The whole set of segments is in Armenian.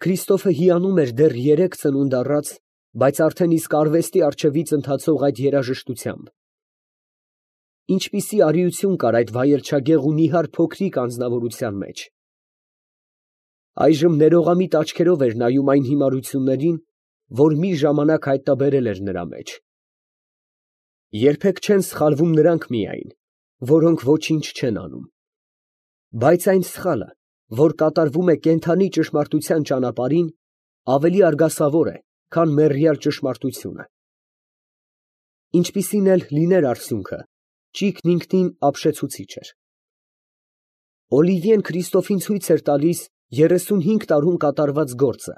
Քրիստոֆը հիանում էր դեռ 3 ծնունդ առած, բայց արդեն իսկ արվեստի առջևից ընթացող այդ երաժշտությամբ։ Ինչպիսի արիություն կար այդ վայելչագեղ ու նիհար փոքրիկ անձնավորության մեջ։ Այժմ ներողամիտ աչքերով էր նայում այն հիմարություններին, որ մի ժամանակ հայտնաբերել էր նրա մեջ։ Երբեք չեն սխալվում նրանք միայն, որոնք ոչինչ չեն անում, բայց այն սխալը, որ կատարվում է կենդանի ճշմարտության ճանապարհին, ավելի արգասավոր է, քան մեռյալ ճշմարտությունը։ Ինչպիսին էլ լիներ արդյունքը, ճիգն ինքնին ապշեցուցիչ էր։ Օլիվիեն Քրիստոֆին ցույց էր տալիս 35 տարում կատարված գործը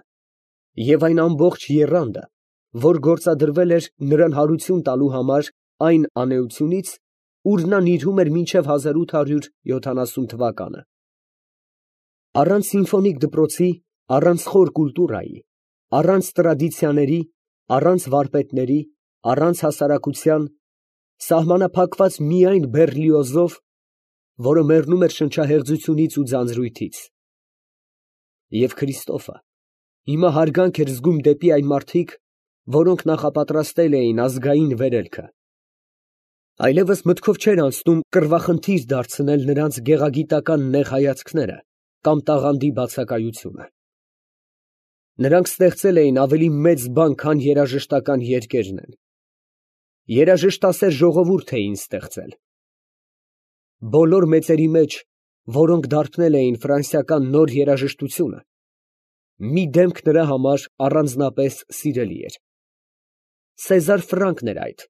և այն ամբողջ եռանդը, որ գործադրվել էր նրան հարություն տալու համար այն անէությունից, ուր նա նիրհում էր մինչև 1870 թվականը։ Առանց սիմֆոնիկ դպրոցի, առանց խոր կուլտուրայի, առանց տրադիցիաների, առանց վարպետների, առանց հասարակության, սահմանափակված միայն Բեռլիոզով, որը մեռնում էր շնչահեղձությունից ու ձանձրույթից։ Եվ Քրիստոֆը հիմա հարգանք էր զգում դեպի այն մարդիկ, որոնք նախապատրաստել էին ազգային վերելքը։ Այլևս մտքով չէր անցնում կռվախնդիր դարձնել նրանց գեղագիտական նեղ հայացքները կամ տաղանդի բացակայությունը։ Նրանք ստեղծել էին ավելի մեծ բան, քան երաժշտական երկերն են։ Երաժշտասեր ժողովուրդ էին ստեղծել։ Բոլոր մեծերի մեջ, որոնք դարբնել էին ֆրանսիական նոր երաժշտությունը, մի դեմք նրա համար առանձնապես սիրելի էր։ Սեզար Ֆրանկն էր այդ,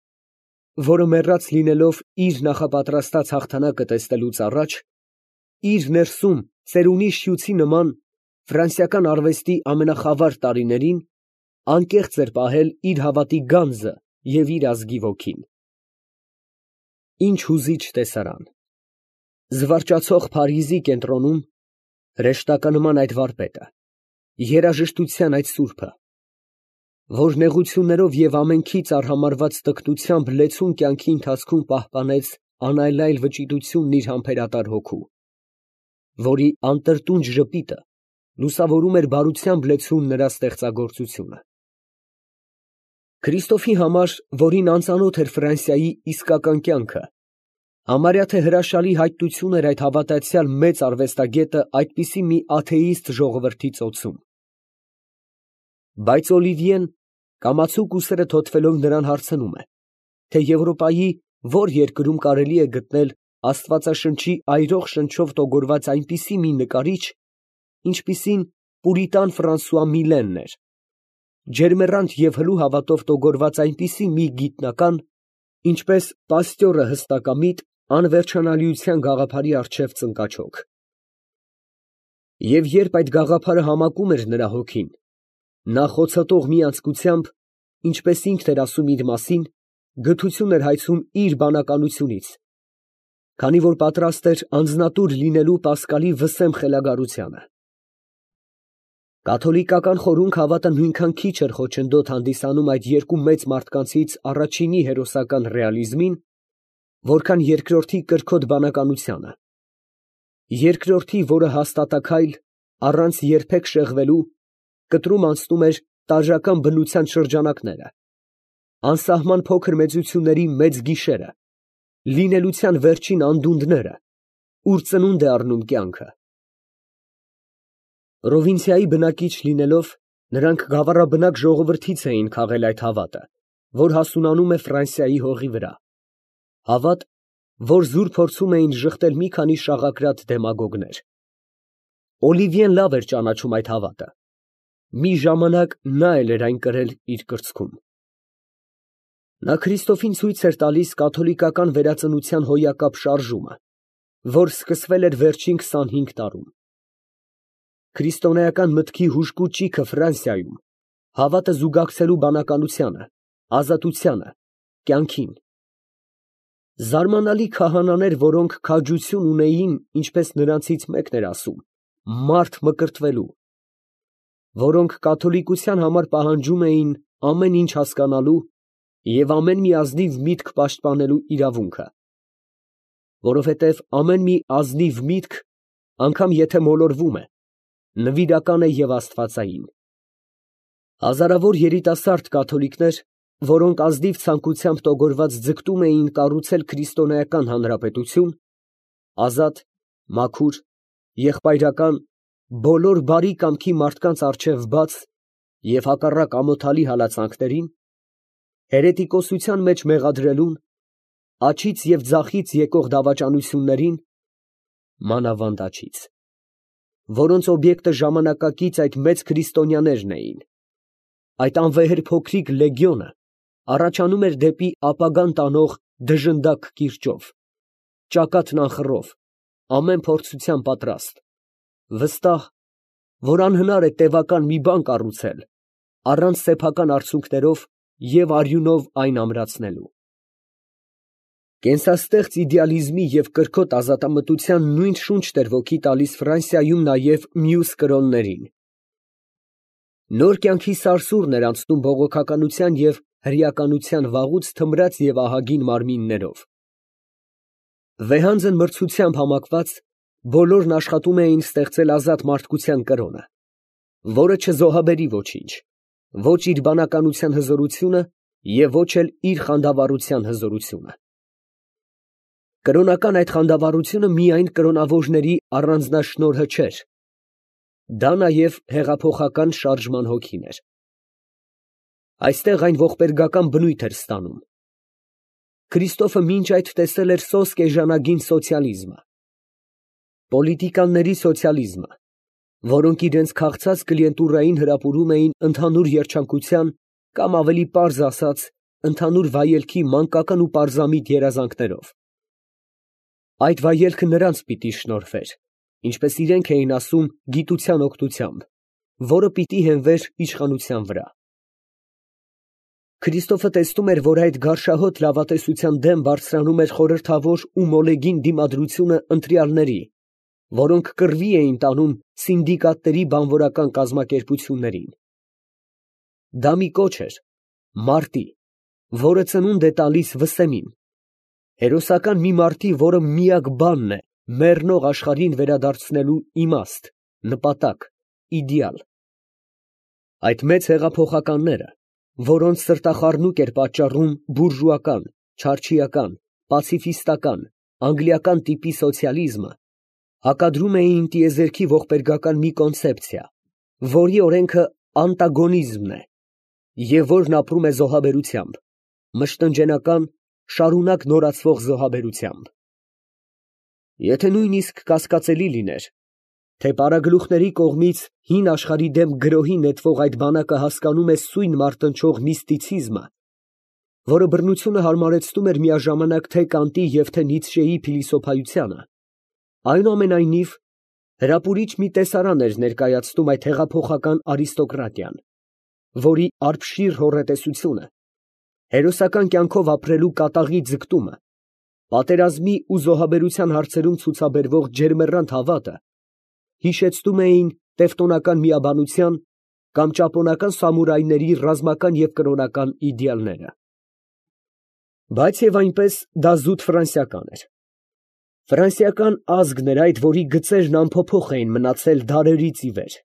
որը մեռած լինելով իր նախապատրաստած հաղթանակը տեսնելուց առաջ, իր ներսում ծերունի շյութի նման ֆրանսիական արվեստի ամենախավար տարիներին անկեղծ էր պահել իր հավատի գանձը և իր ազգի ոգին։ Ինչ հուզիչ տեսարան։ Զվարճացող Փարիզի կենտրոնում հրեշտականման այդ վարպետը, երաժշտության այդ սուրբը, որ նեղություններով և ամենքից արհամարհված տգնությամբ լեցուն կյանքի ընթացքում պահպանեց անայլայլ վճիռությունն իր համբերատար հոգու, որի անտրտունջ ժպիտը լուսավորում էր բարությամբ լեցուն նրա ստեղծագործությունը։ Քրիստոֆի համար, որին անծանոթ էր Ֆրանսիայի իսկական կյանքը, համարյա թե հրաշալի հայտնություն էր այդ հավատացյալ մեծ արվեստագետը այդպիսի մի աթեիստ ժողովրդի ծոցում։ Բայց Օլիվիեն կամացուկ ուսերը թոթվելով նրան հարցնում է, թե Եվրոպայի որ երկրում կարելի է գտնել Աստվածաշնչի այրող շնչով տոգորված այնպիսի մի նկարիչ, ինչպիսին պուրիտան Ֆրանսուଆ Միլենն էր, ջերմեռանդ և հլու հավատով տոգորված այնպիսի մի գիտնական, ինչպես Պաստյորը հստակամիտ, անվերջանալիության գաղափարի առջև ծնկաչոք։ Եվ երբ այդ գաղափարը համակում էր նրա հոգին, նա խոցոտող մի անձկությամբ, ինչպես ինքն էր ասում իր մասին, գթություն էր հայցում իր բանականությունից, քանի որ պատրաստ էր անձնատուր լինելու Պասկալի վսեմ խելագարությանը։ Կաթոլիկական խորհուրդ հավատը նույնքան քիչ էր խոչընդոտ հանդիսանում այդ երկու մեծ մարդկանցից առաջինի հերոսական ռեալիզմին, որքան երկրորդի կրքոտ բանականությանը։ Երկրորդի, որը հաստատաքայլ, առանց երբեք շեղվելու, կտրում անցնում էր տարրական բնության շրջանակները, անսահման փոքր մեծությունների մեծ գիշերը, լինելության վերջին անդունդները, ուր ծնունդ է առնում կյանքը։ Պրովինցիայի բնակիչ լինելով, նրանք գավառաբնակ ժողովրդից էին քաղել այդ հավատը, որ հասունանում է Ֆրանսիայի հողի վրա, հավատ, որ զուր փորձում էին ժխտել մի քանի շաղակրատ դեմագոգներ։ Օլիվիեն լավ էր ճանաչում այդ հավատը, մի ժամանակ նա էլ էր այն կրել իր կրծքում։ Նա Քրիստոֆին ցույց էր տալիս կաթոլիկական վերածնության հոյակապ շարժումը, որ սկսվել էր վերջին 25 տարում։ Քրիստոնեական մտքի հուժկու ճիգը Ֆրանսիայում, հավատը զուգակցելու բանականությանը, ազատությանը, կյանքին։ Զարմանալի քահանաներ, որոնք քաջություն ունեին, ինչպես նրանցից մեկն էր ասում, մարդ մկրտվելու, որոնք կաթոլիկության համար պահանջում էին ամեն ինչ հասկանալու և ամեն մի ազնիվ միտք պաշտպանելու իրավունքը, որովհետև ամեն մի ազնիվ միտք, անգամ եթե մոլորվում է, նվիրական է և աստվածային։ Հազարավոր երիտասարդ կաթոլիկներ, որոնք ազնիվ ցանկությամբ տոգորված ձգտում էին կառուցել քրիստոնեական հանրապետություն, ազատ, մաքուր, եղբայրական, բոլոր բարի կամքի մարդկանց առջև բաց և հակառակ ամոթալի հալածանքներին, հերետիկոսության մեջ մեղադրելուն, աջից և ձախից եկող դավաճանություններին, մանավանդ աջից, որոնց օբյեկտը ժամանակակից այդ մեծ քրիստոնյաներն էին, այդ անվեհեր փոքրիկ լեգիոնը առաջանում էր դեպի ապագան տանող դժնդակ կիրճով, ճակատն անխռով, ամեն փորձության պատրաստ, վստահ, որ անհնար է տևական մի բան կառուցել, առանց սեփական արդյունքներով և արյունով այն ամրացնելու։ Կենսաստեղծ իդեալիզմի և կրքոտ ազատամտության նույն շունչն էր ոգի տալիս Ֆրանսիայում նաև մյուս կրոններին։ Նոր կյանքի սարսուռն էր անցնում բողոքականության և հրեականության վաղուց թմրած և ահագին մարմիններով։ Վեհանձն մրցությամբ համակված բոլորն աշխատում էին ստեղծել ազատ մարդկության կրոնը, որը չզոհաբերի ոչինչ, ոչ իր բանականության հզորությունը և ոչ էլ իր խանդավառության հզորությունը։ Կրոնական այդ խանդավառությունը միայն կրոնավորների առանձնաշնորհը չէր, դա նաև հեղափոխական շարժման հոգին էր։ Այստեղ այն ողբերգական բնույթ էր ստանում։ Քրիստոֆը մինչ այդ տեսել էր սոսկ էժանագին սոցիալիզմը, պոլիտիկանների սոցիալիզմը, որոնք իրենց քաղցած կլիենտուրային հրապուրում էին ընդհանուր երջանկության կամ ավելի պարզ ասած, ընդհանուր վայելքի մանկական ու պարզամիտ երազանքներով։ Այդ վայելքը նրանց պիտի շնորհվեր, ինչպես իրենք էին ասում, գիտության օգնությամբ, որը պիտի հենվեր իշխանության վրա։ Քրիստոֆը տեսնում էր, որ այդ գարշահոտ լավատեսության դեմ բարձրանում էր խորհրդավոր ու մոլեգին դիմադրությունը ընտրյալների, որոնք կռվի էին տանում սինդիկատների բանվորական կազմակերպություններին։ Դա մի կոչ էր մարտի, որը ծնունդ է տալիս վսեմին, հերոսական մի մարտի, որը միակ բանն է մեռնող աշխարհին վերադարձնելու իմաստ, նպատակ, իդեալ։ Այդ մեծ հեղափոխականները, որոնց սրտախառնուկ էր պատճառում բուրժուական, չարչիական, պացիֆիստական, անգլիական տիպի սոցիալիզմը, հակադրում էին տիեզերքի ողբերգական մի կոնցեպցիա, որի օրենքը անտագոնիզմն է, և որն ապրում է զոհաբերությամբ, մշտնջենական, շարունակ նորացվող զոհաբերությամբ։ Եթե նույնիսկ կասկածելի լիներ, թե պարագլուխների կողմից հին աշխարհի դեմ գրոհի նետվող այդ բանակը հասկանում է սույն մարտնչող միստիցիզմը, որը բռնությունը հարմարեցնում էր միաժամանակ թե Կանտի և թե Նիցշեի փիլիսոփայությանը, այնուամենայնիվ հրապուրիչ մի տեսարան էր ներկայացնում այդ հեղափոխական արիստոկրատիան, որի արբշիր հոռետեսությունը, հերոսական կյանքով ապրելու կատաղի ձգտումը, պատերազմի ու զոհաբերության հարցերում ցուցաբերվող ջերմեռանդ հավատը հիշեցնում էին տևտոնական միաբանության կամ ճապոնական սամուրայների ռազմական և կրոնական իդեալները։ Բայց և այնպես դա զուտ ֆրանսիական էր։ Ֆրանսիական ազգն էր այդ, որի գծերն անփոփոխ էին մնացել դարերից ի վեր։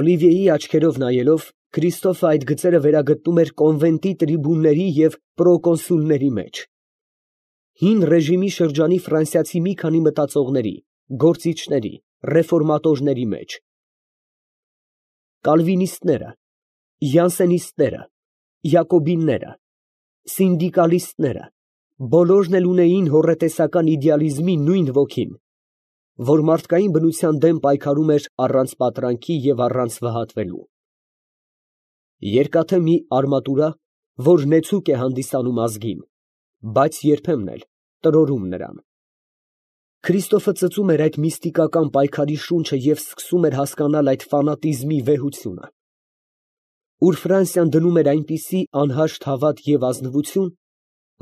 Օլիվիեի աչքերով նայելով, Քրիստոֆը այդ գծերը վերագտնում էր կոնվենտի տրիբունների և պրոկոնսուլների մեջ։ Հին ռեժիմի շրջանի ֆրանսիացի մի քանի մտածողների, գործիչների, ռեֆորմատորների մեջ։ Կալվինիստները, յանսենիստները, յակոբինները, սինդիկալիստները, բոլորն էլ ունեին հոռետեսական իդեալիզմի նույն ոգին, որ մարդկային բնության դեմ պայքարում էր առանց պատրանքի և առանց վհատվելու։ Երկաթե մի արմատուրա, որ նեցուկ է հանդիսանում ազգին, բայց երբեմն էլ տրորում նրան։ Քրիստոֆը ծծում էր այդ միստիկական պայքարի շունչը և սկսում էր հասկանալ այդ ֆանատիզմի վեհությունը, ուր Ֆրանսիան դնում էր այնպիսի անհաշտ հավատ և ազնվություն,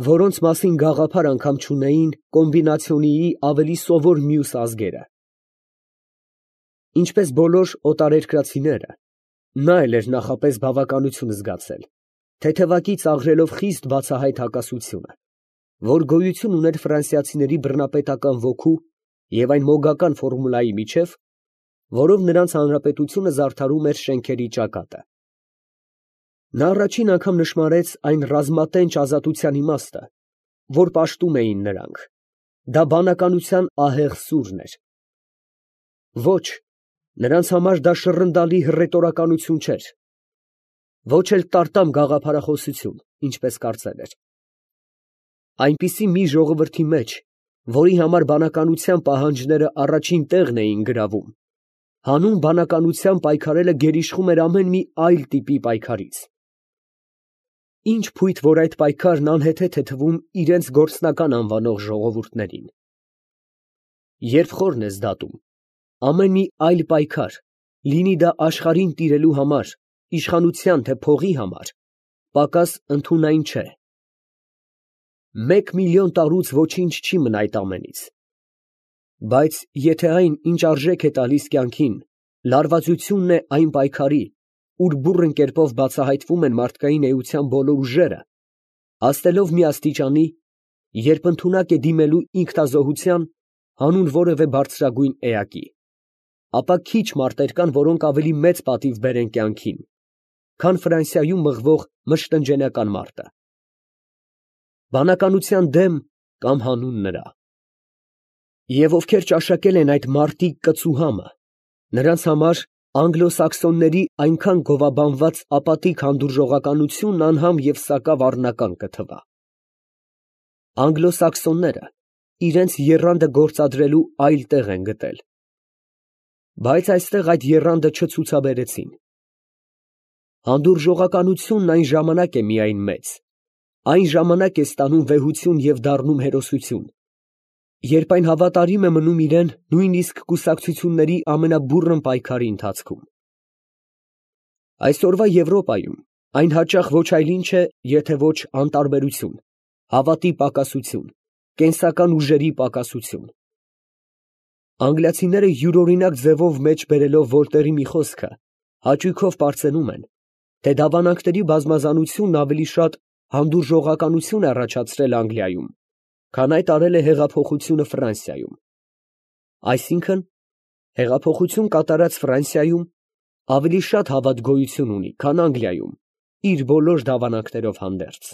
որոնց մասին գաղափար անգամ չունեին կոմբինացիոնիի ավելի սովոր մյուս ազգերը։ Ինչպես բոլոր օտարերկրացիները, նա էլ էր նախապես բավականություն զգացել, թեթևակի ծաղրելով խիստ բացահայտ հակասությունը, որ գոյություն ուներ ֆրանսիացիների բռնապետական ոգու և այն մոգական ֆորմուլայի միջև, որով նրանց հանրապետությունը զարդարում էր շենքերի ճակատը։ Նա առաջին անգամ նշմարեց այն ռազմատենչ ազատության իմաստը, որ պաշտում էին նրանք. դա բանականության ահեղ սուրն էր։ Ոչ, նրանց համար դա շռնդալի հռետորականություն չէր, ոչ էլ տարտամ գաղափարախոսություն, ինչպես կարծել էր։ Այնպիսի մի ժողովրդի մեջ, որի համար բանականության պահանջները առաջին տեղն էին գրավում, հանուն բանականության պայքարելը գերիշխում էր ամեն մի այլ տիպի պայքարից։ Ինչ փույթ, որ այդ պայքարն անհեթեթ է թվում իրենց գործնական անվանող ժողովուրդներին։ Երբ խորն ես դատում, ամեն մի այլ պայքար, լինի դա աշխարհին տիրելու համար, իշխանության թե փողի համար, պակաս ընդունայն չէ։ 1 միլիոն տարուց ոչինչ չի մնա այդ ամենից։ Բայց եթե այն, ինչ արժեք է տալիս կյանքին, լարվածությունն է այն պայքարի, ուր բուռն կերպով բացահայտվում են մարդկային էության բոլոր ուժերը, հասնելով մի աստիճանի, երբ ընդունակ է դիմելու ինքնազոհության հանուն որևէ բարձրագույն էակի, ապա քիչ մարդեր կան, որոնք ավելի մեծ պատիվ բերեն կյանքին, քան Ֆրանսիայում մղվող մշտնջենական մարտը։ Բանականության դեմ կամ հանուն նրա։ Եվ ովքեր ճաշակել են այդ մարտի կծուհամը, նրանց համար անգլոսաքսոնների այնքան գովաբանված ապատիկ հանդուրժողականությունն անհամ և սակավ առնական կթվա։ Անգլոսաքսոնները իրենց եռանդը գործադրելու այլ տեղ են գտել, բայց այստեղ այդ եռանդը չցուցաբերեցին։ Հանդուրժողականությունն այն ժամանակ է միայն մեծ, այն ժամանակ է ստանում վեհություն և դառնում հերոսություն, երբ այն հավատարիմ է մնում իրեն նույնիսկ կուսակցությունների ամենաբուռն պայքարի ընթացքում։ Այսօրվա Եվրոպայում այն հաճախ ոչ այլ ինչ է, եթե ոչ անտարբերություն, հավատի պակասություն, կենսական ուժերի պակասություն։ Անգլիացիները յուրօրինակ ձևով մեջ բերելով Վոլտերի մի խոսքը, հաճույքով պարծենում են, թե դավանանքների բազմազանությունն ավելի շատ հանդուրժողականություն է առաջացրել Անգլիայում, քան այդ արել է հեղափոխությունը Ֆրանսիայում։ Այսինքն, հեղափոխություն կատարած Ֆրանսիայում ավելի շատ հավատ գոյություն ունի, քան Անգլիայում, իր բոլոր դավանանքներով հանդերձ։